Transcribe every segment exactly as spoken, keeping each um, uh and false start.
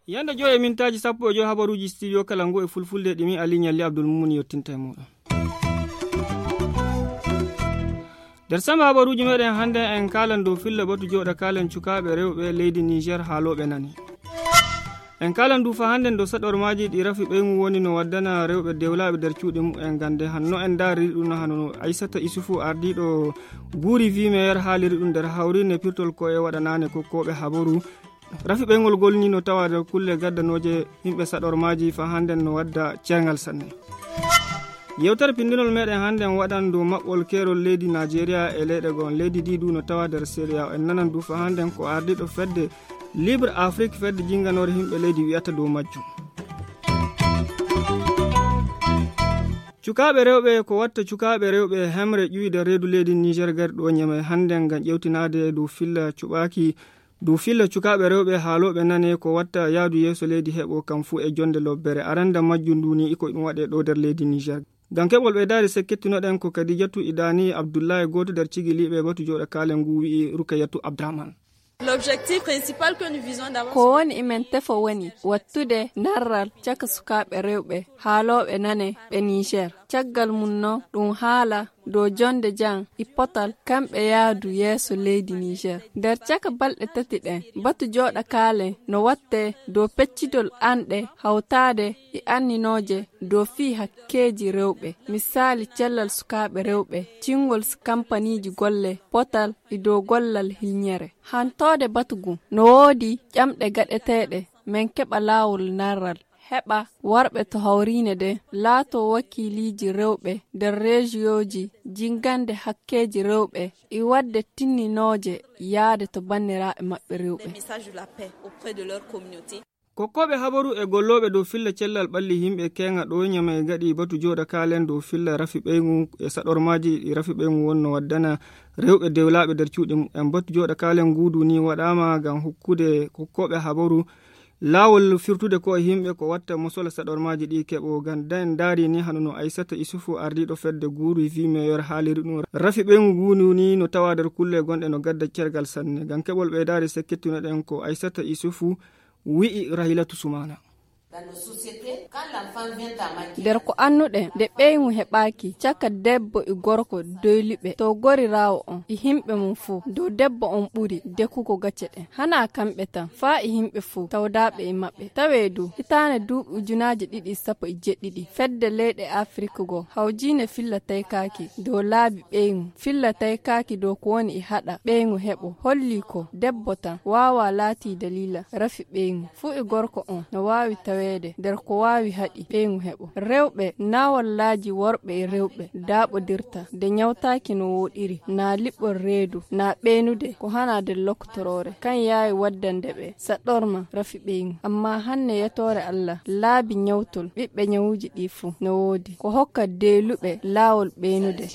Yande joyi e mintaaji sappo e joyi, habaruuji studio kala ngu e fulfulde ɗi min Ali Ñalli Abdul Mumun yottinta e muɗum. Nder samba habaruuji meɗen hannde, en kaalan dow filla batu jooɗa kaalen cukaaɓe rewɓe leydi Niger haalooɓe nani. En kaalan du fa hannde dow saɗormaaji ɗi rafi ɓeyngu woni no waddana rewɓe dewlaaɓe nder cuuɗi mumen gande hanno en ndaariri ɗum no hano no Aissata Isufu ardiiɗo guuri vimeyer haaliri ɗum nder hawrine pirtol ko e waɗanaane kokkooɓe habaru. Rafi ɓeyngu ngol ni no tawa nder kulle gaddanooje yimɓe saɗormaaji fa hannde no wadda ceerngal sanne. Yewtere pinndinol meɗen hannde en waɗan dow maɓɓol keerol leydi Najeriya e leyɗe goo. Leydi ndi du no tawa nder Siriya. En nanan du fa hannde ko ardiiɗo fedde Libre Afrique, fedde jinnganoore yimɓe leydi, wiyata dow majjum. Cukaaɓe rewɓe, ko watta cukaaɓe rewɓe hemre ƴuwi nder reedu leydi Niger gari ɗo Ñamey hannde ngam ƴewtinaade dow filla cuɓaaki, dow filla cukaaɓe rewɓe haalooɓe nane ko watta yaadu yeeso leydi heɓo kam fuu e jonde lobbere. Aranda majjum ndu ni iko ɗum waɗe ɗo nder leydi Niger. Ngam keɓol ɓeydaari sekkettinoɗen ko Kadijatu Idani Abdullahi, gooto nder cigiliiɓe batu jooɗa kaalen ngu wi'i Rukayatu Abdrahman. L'objectif principal que nous visons d'abord, ko woni imen tefo woni wattude narral caka sukaaɓe rewɓe haalooɓe nane ɓe Niger. Caggal mum noon ɗum haala dow jonde jam e potal kamɓe yaadu yeeso leydi Niger. Nder caka balɗe tati ɗen, batu jooɗa kaalen no watte dow peccitol anɗe hawtaade e anninooje dow fii hakkeeji rewɓe, misaali cellal sukaaɓe rewɓe, cingol s-, kampaniiji golle, potal e dow gollal hilñere. Hantoode batu ngun, no woodi ƴamɗe gaɗeteeɗe, men keɓa laawol narral, heɓa worɓe to hawriine nden laatoo wakiiliiji rewɓe nder reejiyooji, jinngande hakkeeji rewɓe e waɗde tinninooje yaade to banndiraaɓe maɓɓe rewɓe. Des messages de la paix auprès de leur communauté. Kokkooɓe habaru e gollooɓe dow filla cellal ɓalli yimɓe keeŋa ɗo Ñamey gaɗi batu jooɗa kaalen dow filla rafi ɓeyngu e saɗormaaji ɗi rafi ɓeyngu wonno waddana rewɓe dewlaaɓe nder cuuɗi mumen. Batu jooɗa kaalen nguudu ni waɗaama ngam hokkude kokkooɓe habaru laawol firtude ko e yimɓe ko watta mosola saɗormaaji ɗi keɓo. Ngam da en ndaari ni hano no Aissata Isufu ardiiɗo fedde guuru vimeyer haaliri ɗum. Rafi ɓeyngu nguudu ni no tawa nder kulle gonɗe no gadda cergal sanne. Ngam keɓol ɓeydaari sekkettinoɗen ko Aissata Isufu wi'i Rahilatu Sumana. Nder ko annuɗen, nde ɓeyngu heɓaaki caka debbo e gorko doyliɓe to goriraawo on e yimɓe mum fof, dow debbo on ɓuri dekugo gacce ɗen. Hanaa kamɓe tan, faa e yimɓe fof tawdaaɓe e maɓɓe. Tawee du, hitaande duuɓi ujunaaji ɗiɗi e sappo e jeɗɗiɗi, fedde leyɗe Afrik goo, hawjiine filla taykaaki dow laabi ɓeyngu, filla taykaaki dow ko woni e haɗa ɓeyngu heɓo, holli ko debbo tan waawaa laatii daliila rafi ɓeyngu. Fuu e gorko on no waawi taweede nder ko waawi haɗi ɓeyngu heɓo. Rewɓe naa wallaaji worɓe e rewɓe daaɓodirta nde ñawtaaki no wooɗiri, naa liɓol reedu, naa ɓeynude ko hanaa nder loktoroore. Kan yaawi waddande ɓe saɗɗorma rafi ɓeyngu. Ammaa hanne yetoore Allah, laabi ñawtol ɓiɓɓe ñawuuji ɗii fuu no woodi. Ko hokka deeluɓe laawol ɓeynude.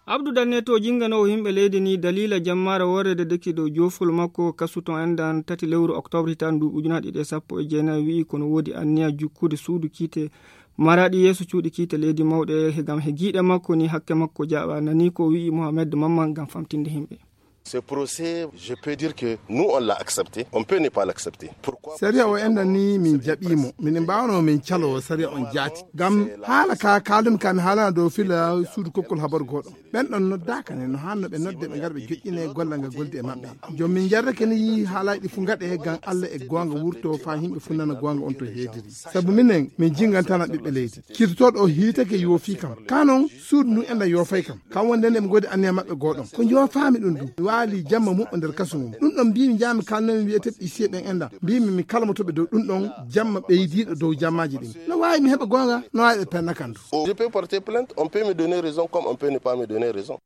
Abdou Danne to jinnganowo yimɓe leydi ni daliila jammaare worre de deki dow joofol makko kasu ton endan tati lewru octobre hitaande ndu ujunaaji ɗiɗi e sappo e jeenayi wi'i kono woodi anniya jukkude suudu kiite maraɗi yeeso cuuɗi kiite leydi mawɗe he gam he giiɗe makko ni hakke makko jaaɓa nani ko wi'i Mohamed Mamman gam famtinde yimɓe. Ce procès, je peux dire que nous, on l'a accepté. On peut ne pas l'accepter. Pourquoi? Sariya o enɗan ni min jaɓiimo. Minen mbaawno min calo sariya on jaati. Ngam haala ka kaaldumi ka mi haalana dow fila suudu kokkol habaru gooɗo. Ɓen ɗon noddaaka ne no haanno ɓe nodde ɓe ngara ɓe joƴƴine gollal ngal goldi e maɓɓe. Joom min jarrake ni haalaaji ɗi fu ngaɗe ngam Allah e goonga wurto faa yimɓe fu nana goonga on to heediri. Sabu minen min jingantana ɓiɓɓe leydi. Kirtotooɗo o hiitake yoofii kam. Ka non suudu ndu enɗan yoofay kam. Kam wonde nde ɓe ngoodi anniya maɓɓe gooɗon. Ko njoofaami ɗum ɗum. Mi waali jamma muɓɓo nder kasu mum. Ɗum ɗon mbiimi njaami kalnomi wi'eteeɓe isiye ɓen enɗan. Mbiimi mi kalmoto ɓe dow ɗum ɗon jamma ɓeydiiɗo dow jammaaji ɗin. No waawi mi heɓa goonga, no waawi ɓe penna kam du. Je peux porter plainte, on peut me donner raison comme on peut ne pas me donner raison.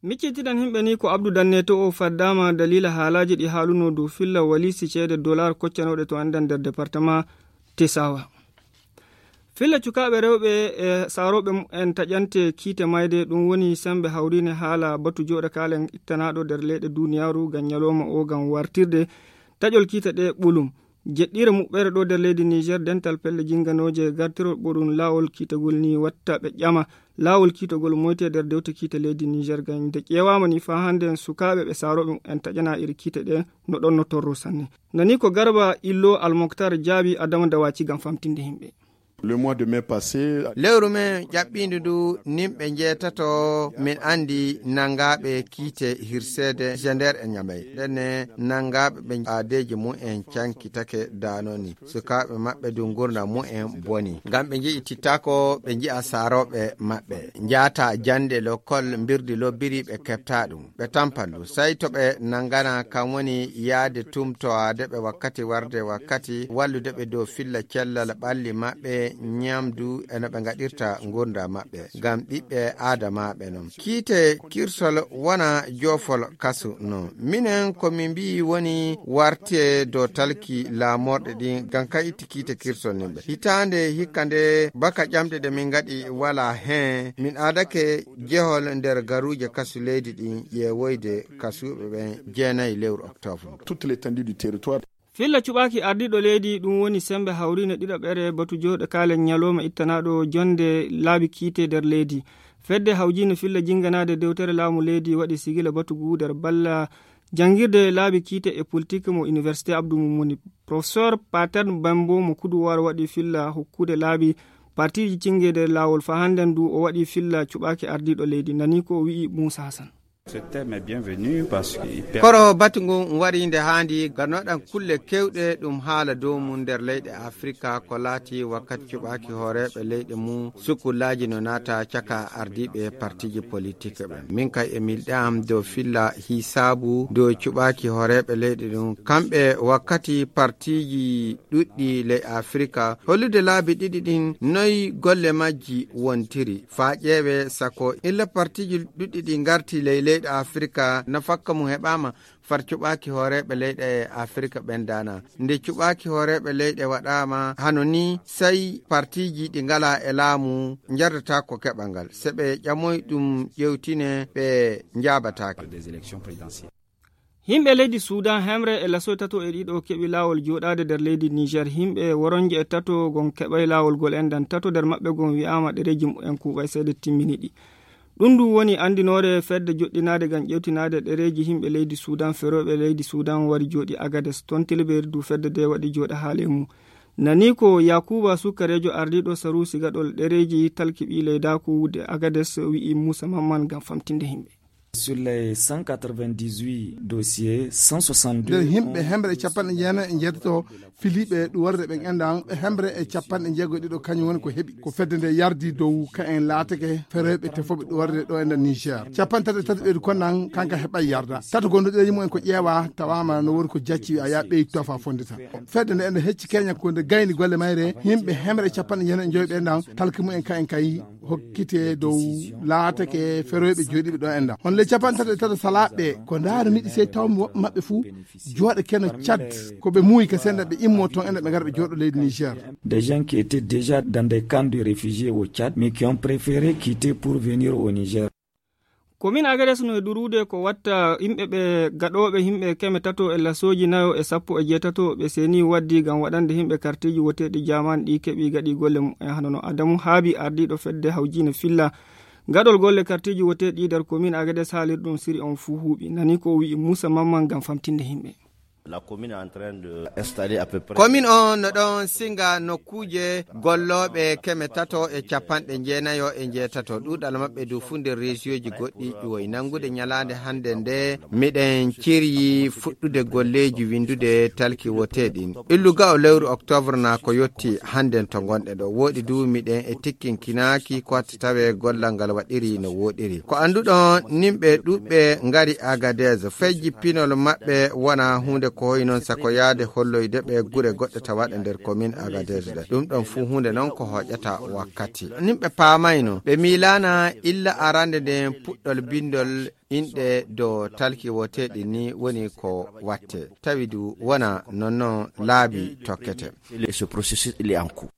Miccitiɗen yimɓe ni ko Abdou Danne to o faddaama daliila haalaaji ɗi haaluno dow filla waliisi ceede dollar koccanooɗe to enɗan nder département Tesawa. Filla cukaaɓe rewɓe e saarooɓe mumen taƴante kiite mayde, ɗum woni semmbe hawriine haala batu jooɗa kaalen ittanaaɗo nder leyɗe duuniyaaru ngam ñalooma o ngam wartirde taƴol kiite ɗe ɓolum. Jeɗɗiire muɓɓere ɗo nder leydi Niger, dental pelle jinganooje gartirol ɓoɗum laawol kiitagol ni watta ɓe ƴama laawol kiitagol moyte nder dewte kiite leydi Niger. Gam nde ƴeewaama ni faa hannde sukaaɓe ɓe saarooɓe en taƴana iri kiite ɗe no ɗon no torro sanne. Nani ko Garba Illo Almoktar jaabi Adama Dawaci gam famtinde himɓe. Le mois de mai passé, lewru men ƴaɓɓiindu ndu, nimɓe njeetato min anndi nanngaaɓe kiite hirseede Gender e Ñamey. Ndenne nanngaaɓe ɓe aadeeji mum en cankitake daanoni. Sukaaɓe maɓɓe du ngurndan mum en boni. Ngam ɓe nji'i tittaako, ɓe nji'a saarooɓe maɓɓe. Njaata jannde lokol mbirdi lobbiri ɓe keɓta ɗum. Ɓe tampa ndu. Sey to ɓe nanngana kam woni yaade tumtowaade ɓe wakkati warde wakkati, wallude ɓe dow filla cellal ɓalli maɓɓe, ñamdu e no ɓe ngaɗirta ngurndan maɓɓe. Ngam ɓiɓɓe aadamaaɓe non. Kiite kirsol wona joofol kasu non. Minen ko min mbi'i woni warte dow talki laamorɗe ɗin, ngam ka itti kiite kirsol nin ɓe. Hitaande hikka nde baka ƴamɗe ɗe min ngaɗi walaa heen, min aadake jehol nder garuuje kasu leydi ɗin ƴeewoyde kasuuɓe ɓen jeenayi lewru octobre. Toute l'étendue du territoire. Filla cuɓaaki ardiiɗo leydi, ɗum woni sembe hawriinde ɗiɗaɓere batu jooɗo kaalen ñalooma ittanaaɗo jonde laabi kiite nder leydi. Fedde hawjiinde filla jinganaade dewtere laamu leydi waɗi sigila batu ngu nder balla janngirde laabi kiite e politik mo Université Abdou Moumouni. Professeur Pater Bembo mo Kuduwar waɗi filla hokkude laabi partiiji cinge nder laawol faa hannden du o waɗi filla cuɓaaki ardiiɗo leydi. Nani ko o wi'i Moussa Hassan. Ce thème est bienvenu parce que il permet. Koro batu ngun wari nde haandi, ngam no ɗan kulle kewɗe ɗum haala dow mum nder leyɗe Afrika, ko laati wakkati cuɓaaki hooreeɓe leyɗe mum, sukulaaji no naata caka ardiiɓe partiiji politik ɓen. Min kay e milɗe am dow filla hisaabu dow cuɓaaki hooreeɓe leyɗe ɗum, kamɓe wakkati partiiji ɗuɗɗi ley Afrika, hollude laabi ɗiɗi ɗin noy golle majji wontiri. Faa ƴeewe sako illa partiiji ɗuɗɗi ɗi ngarti ley leyɗe Afrika, nafakka mum heɓaama, far cuɓaaki hooreeɓe leyɗe Afrika ɓen daana. Nde cuɓaaki hooreeɓe leyɗe waɗaama hano ni, sey partiiji ɗi ngalaa e laamu njardata ko keɓal ngal. Se ɓe ƴamoy ɗum ƴewtine, ɓe njaabataake. Des élections présidentielles. Yimɓe leydi Suudan hemre e lasoy tato e ɗiɗo keɓi laawol jooɗaade nder leydi Niger. Yimɓe woronje e tato gon keɓay laawol gol enɗan. Tato nder maɓɓe gon wi'aama ɗereeji mu'en kuuɓay seede timmini ɗi. Ɗum ndu woni anndinoore fedde joɗɗinaade ngam ƴewtinaade ɗereeji yimɓe leydi Suudan, ferooɓe leydi Suudan wari jooɗi Agades. Toon tilbeeri du fedde de waɗi jooɗa haale mum. Nani ko Yakuba Sukareejo ardiiɗo Saruusi gaɗol ɗereeji talki ɓii leydaaku de Agades wi'i Muusa Mamman ngam famtinde yimɓe. Sur les cent quatre-vingt-dix-huit dossiers, cent soixante-deux nder yimɓe hemre e capanɗe jeenayi e njeetato filiiɓe ɗuwarde ɓen enɗan, hemre e capanɗe jeego e ɗiɗo kañum woni ko heɓi. Ko fedde nde yardi dow ka en laatake ferooɓe tefooɓe ɗuwarde ɗo enɗan Niger. Capanɗe tati e tati ɓeydu konɗan kanka heɓay yarda. Tato gonɗo ɗereeji mumen ko ƴeewa tawaama no woni ko jacci a yaa ɓeydu tofa fondita. Fedde nde enɗan hecci keña ko nde gayni golle mayre yimɓe hemre e capanɗe jeenayi e joyi ɓe enɗan talki mumen ka en kay hokkite dow laatake ferooɓe jooɗiiɓe ɗo enɗan. Hono le capanɗe tati e tato salaaɓe ɓe ko ndaarumi ɗi sey tawmi woɓɓe maɓɓe fuu jooɗa keno Cad ko ɓe muuyi ka senda ɓe immo toon enɗan ɓe ngara ɓe jooɗo leydi Niger. Des gens qui étaient déjà dans des camps de réfugiés au Tchad, mais qui ont préféré quitter pour venir au Niger. Komin Agades no e durude ko watta yimɓe ɓe gaɗooɓe yimɓe keme tato e lasooji nayo e sappo e jeetato ɓe seeni waddi ngam waɗande yimɓe kartiiji woteeɗi jaman ɗi keɓi gaɗi golle mumen hano no Adamu Haabi ardiiɗo fedde hawjiine filla gaɗol golle kartiiji woteeɗi nder komin Agades haalirɗum siri on fuu huuɓi. Nani ko o wi'i Muusa Mamman ngam famtinde yimɓe. La commune est en train de installer à peu près. Komin on no ɗon singa nokkuuje gollooɓe keme tato e capanɗe jeenayo e jeetato. Ɗuuɗal maɓɓe du fuu nder reesiyooji goɗɗi ƴuwoy. Nanngude ñalaande hannde nde, miɗen ciryi fuɗɗude golleeji winndude talki woteeɗin. Illu ga'o lewru octobre na ko yotti hannden to ngonɗe ɗo. Wooɗi du miɗen e tikkinkinaaki ko tawe gollal ngal waɗiri no wooɗiri. Ko annduɗon, nimɓe ɗuɓɓe ngari Agadez. Fejji pinol maɓɓe wona huunde ko hoy non sako yaade holloyde ɓe gure goɗɗe tawaɗe nder komin Agadez ɗe. Ɗum ɗon fuu huunde non ko hoƴata wakkati. Nimɓe paamayno, ɓe miilaana illa arande nden puɗɗol bindol inɗe dow talki woteeɗi ni woni ko watte. Tawi du wona non non laabi tokkete. Et ce processus, il est en cours.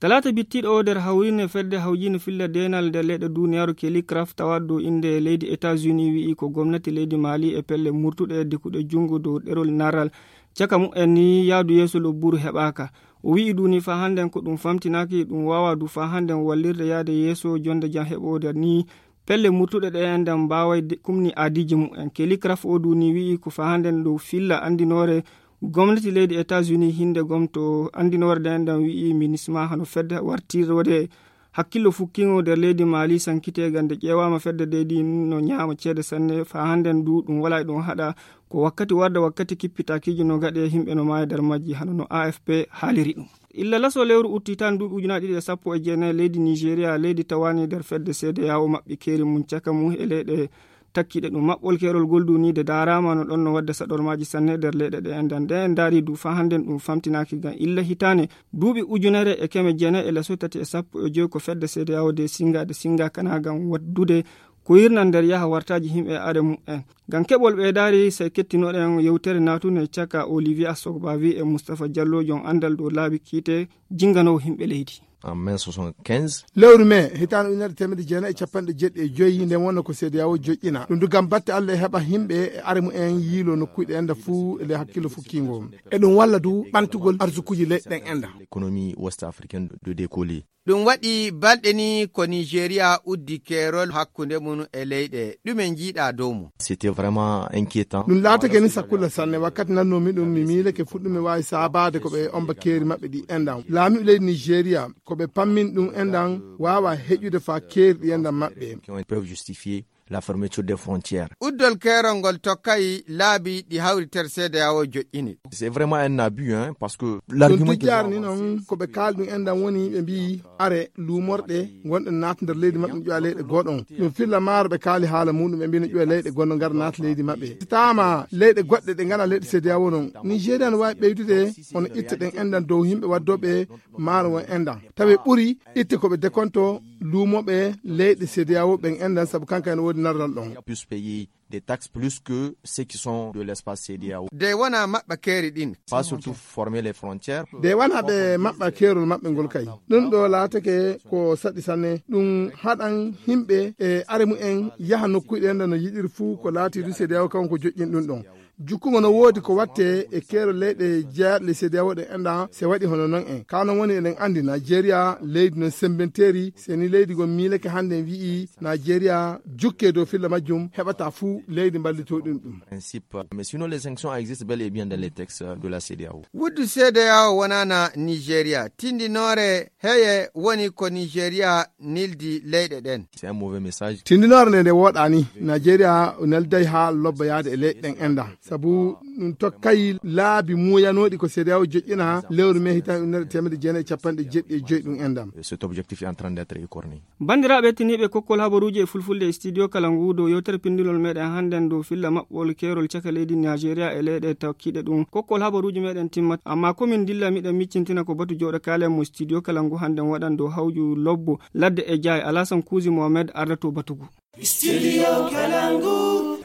Talaata bittiiɗo o nder hawriinde fedde hawjiinde filla deenal nder leyɗe duniyaaru Kelly Craft tawaaɗo dow innde leydi États-Unis wi'i ko gomnati leydi Mali e pelle murtuɗe dekuɗe junngo dow ɗerol narral caka mumen ni yaadu yeeso lobburu heɓaaka. O wi'i du ni faa hannden ko ɗum famtinaaki ɗum waawaa du faa hannden wallirde yaade yeeso jonnde jam heɓoode ni pelle murtuɗe ɗe enɗam mbaaway de- kumni aadiiji mumen. Kelly Craft o du ni wi'i ko faa hannden dow filla anndinoore gomnati leydi États-Unis hinde gomto anndinoore ɗe enɗam wi'i minisma hano fedde wartirode hakkillo fukkingo nder leydi Mali sankite gande ƴeewaama fedde deydi no ñaama ceede sanne faa hannden du ɗum walaa e ɗum haɗa ko wakkati warda wakkati kippitaakiiji no gaɗe yimɓe no maaya nder majji hano no A F P haaliri ɗum. Illa laso lewru utti tan duuɓi ujunaaji ɗiɗi e sappo e jeenayi leydi Nigeria leydi tawaani nder fedde C D A O maɓɓi keeri mum caka mum e leyɗe takkiɗe ɗum maɓɓol keerol gol duniide daaraama no ɗon no wadde saɗormaaji sanne nder leyɗe ɗe enɗan ɗe en ndaari du faa hannden ɗum famtinaaki ngam illa hitaane duuɓi ujunere e keme jeenayi e laso tati e sappo e joyi ko fedde C D A O de singa de singa kana ngam waddude ko yirnan nder yaha wartaaji yimɓe e are mumen. Ngam keɓol ɓeydaari sey kettinoɗen yewtere naatunde caka Olivier Asogbavi e Moustapha Diallo jom anndal dow laabi kiite jinnganowo yimɓe leydi. En mai soixante-quinze. Lewru mai hitaande ujunere teemedde jeenayi e capanɗe jeeɗiɗi e joyi nden wonno ko C D A O joƴƴina ɗum du ngam batte Allah e heɓa yimɓe e are mumen yiilo nokkuuji ɗe enɗa fuu e ley hakkillo fukkiingo e ɗum walla du ɓantugol arsukuuji leyɗe ɗen enɗa. L'économie ouest africaine de décoller. Ɗum waɗi balɗe ni ko Nigeria uddi keerol hakkunde mum e leyɗe. Ɗume njiiɗa dow mum? C'était vraiment inquiétant. Ɗum laatake ni sakkulla sanne wakkati nannoomi ɗum mi miilake fuɗɗume waawi saabaade ko ɓe omba keeri maɓɓe ɗi enɗan. Laamiiɓe leydi Nigeria ko ɓe pammin ɗum enɗan waawa heƴude faa keeri ɗi enɗan maɓɓe. Qui ont- peuvent justifier la fermeture des frontières. Uddol keerol ngol tokkay laabi ɗi hawritere C D A O joƴƴini. C'est vraiment un abus, hein, parce que ɗum l'argument que tijjaari ni noon ko ɓe kaali ɗum enɗan woni ɓe mbiyi are luumorɗe ngonɗe naata nder leydi maɓɓe no ƴoya leyɗe goɗon ɗum filla maaro ɓe kaali haala muɗum ɓe mbiyi no ƴoya leyɗe goɗɗo ngara naata leydi maɓɓe taama leyɗe goɗɗe ɗe ngana leyɗe C D A O noon Nigeria no waawi ɓeydude hono itte ɗen enɗan dow yimɓe waddooɓe maaro won enɗan tawi ɓuri itte ko ɓe dekonto luumoɓe leyɗe C D A O ɓen enɗan sabu kanka ene woodi narral ɗon. Plus payer des taxes plus que ceux qui sont de l'espace C D A O. De wona maɓɓa keeri ɗin. Pas surtout former les frontières. De wona ɓe maɓɓa keerol maɓɓe ngol kay ɗum ɗo laatake ko saɗi sanne ɗum haɗan yimɓe e are mumen yaha nokkuuji ɗen no yiɗiri fuu ko laati du C D A O kanko joƴƴin ɗum ɗon jukkungo no woodi ko watte e keerol leyɗe jeyaɗe le C D A O ɗen enɗan se waɗi hono non en ka non woni eɗen anndi Nigeria leydi non sembenteeri se ni leydi gon miilake hannde en wi'i Nigeria jukke dow filla majjum heɓata fuu leydi mballitoo ɗum ɗum. Principe. Mais sinon les sanctions existent bel et bien dans les textes de la C D A O. Wuddu C D A O wonana Nigeria tindinoore heye woni ko Nigeria nildi leyɗe ɗen. C'est un mauvais message. Tindinoore nde nde wooɗaani Nigeria nelday haa lobba yaade e leyɗe ɗen enɗan sabu ɗum tokkay laabi muuyanooɗi ko C D A O joƴƴina lewru mai hitan ujunere teemedde jeenayi e capanɗe jeeɗiɗi e joyi ɗum enɗan. Cet objectif est en train d'être écorné. Banndiraaɓe tiniiɓe kokkol habaruuji e fulfulde e studio kala ngu dow yewtere pindinol meɗen hannden dow filla maɓɓol keerol caka leydi Nigeria e leyɗe takkiiɗe ɗum kokkol habaruuji meɗen timmata amma komin dilla miɗen miccintina ko batu jooɗo kaalen mo studio kala ngu hannden waɗan dow hawju lobbo ladde e jaay Alasan Kuusi Mohamed ardato batugu. Studio Kalangu.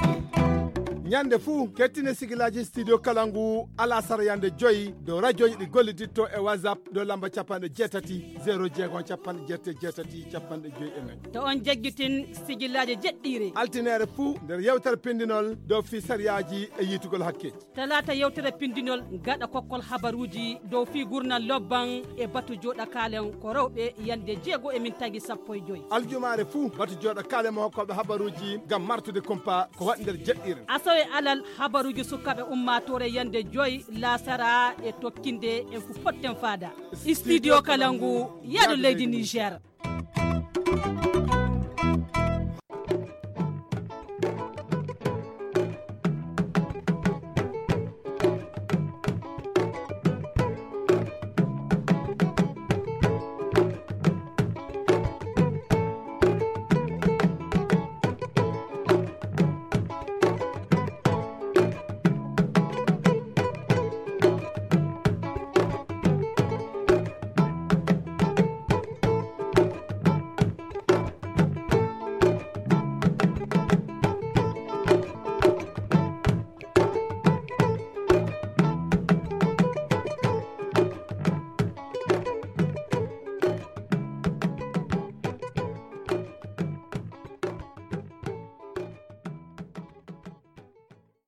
Ñande fuu kettine sigilaaji studio Kalangu alasara yande joyi dow rajooji ɗi golliditto e WhatsApp dow lamba capanɗe jeetati zero jeego capanɗe jeetati jeetati capanɗe joyi e nayi. To on jaggitin sigilaaji jeɗɗiire. Altineere fuu nder yewtere pindinol dow fii sariyaaji e yiitugol hakke. Talaata yewtere pindinol gaɗa kokkol habaruuji dow fii gurnal lobban e batu jooɗa kaalen ko rewɓe yande jeego e min tagi sappo e joyi. Aljumaare fuu batu jooɗa kaalen mo hokkooɓe habaruuji ngam martude kumpa ko waɗi nder jeɗɗiire. Asawe alal habaruuji sukaaɓe ummaatoore yande joyi laasara e tokkinde en fu potten faada. Studio Kalangu yaado leydi Niger.